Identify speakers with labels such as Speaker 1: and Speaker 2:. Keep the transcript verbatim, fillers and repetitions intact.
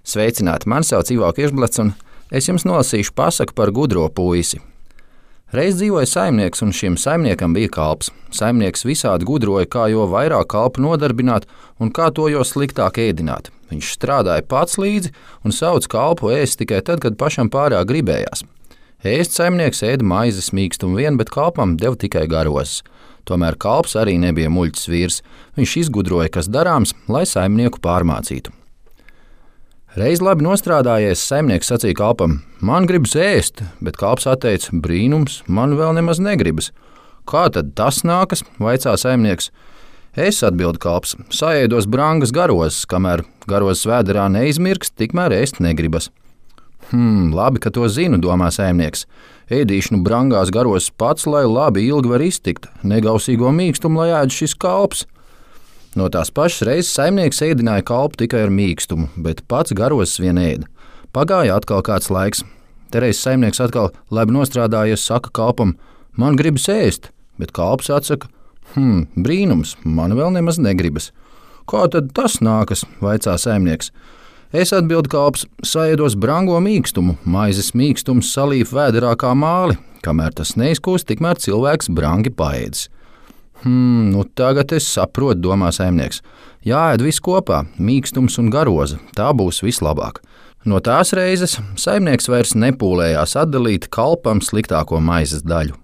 Speaker 1: Sveicināti, mani sauc Ivo Kirsblats, un es jums nolasīšu pasaku par gudro puisi. Reiz dzīvoja saimnieks, un šim saimniekam bija kalps. Saimnieks visādi gudroja, kā jo vairāk kalpu nodarbināt un kā to jo sliktāk ēdināt. Viņš strādāja pats līdzi un sauca kalpu ēst tikai tad, kad pašam pārāk gribējās. Ēst saimnieks ēda maizes mīkstumu vien, bet kalpam deva tikai garozes. Tomēr kalps arī nebija muļķis vīrs. Viņš izgudroja, kas darāms, lai saimnieku pārmācītu. Reiz labi nostrādājies, saimnieks sacīja kalpam: man gribas ēst, bet kalps atteica: brīnums, man vēl nemaz negribas. Kā tad tas nākas, vaicā saimnieks. Es, atbild kalps, saēdos brangas garozes, kamēr garozes vēderā neizmirks, tikmēr ēst negribas. Hmm, labi, ka to zinu, domā saimnieks. Ēdīšu nu brangās garozes pats, lai labi ilgi var iztikt, negausīgo mīkstumu, lai ēd šis kalps. No tās pašas reizes saimnieks ēdināja kalpu tikai ar mīkstumu, bet pats garozes vien ēda. Pagāja atkal kāds laiks. Tereiz saimnieks atkal labi nostrādājies, saka kalpam: man gribas ēst, bet kalps atsaka: hm, brīnums, man vēl nemaz negribas. Kā tad tas nākas, vaicā saimnieks. Es, atbild kalps, saēdos brango mīkstumu, maizes mīkstums salīf vēderā kā māli, kamēr tas neizkūst, tikmēr cilvēks brangi paēdis. Hmm, nu tagad es saprotu, domā saimnieks. Jāēd viss kopā, mīkstums un garoza, tā būs vislabāk. No tās reizes saimnieks vairs nepūlējās atdalīt kalpam sliktāko maizes daļu.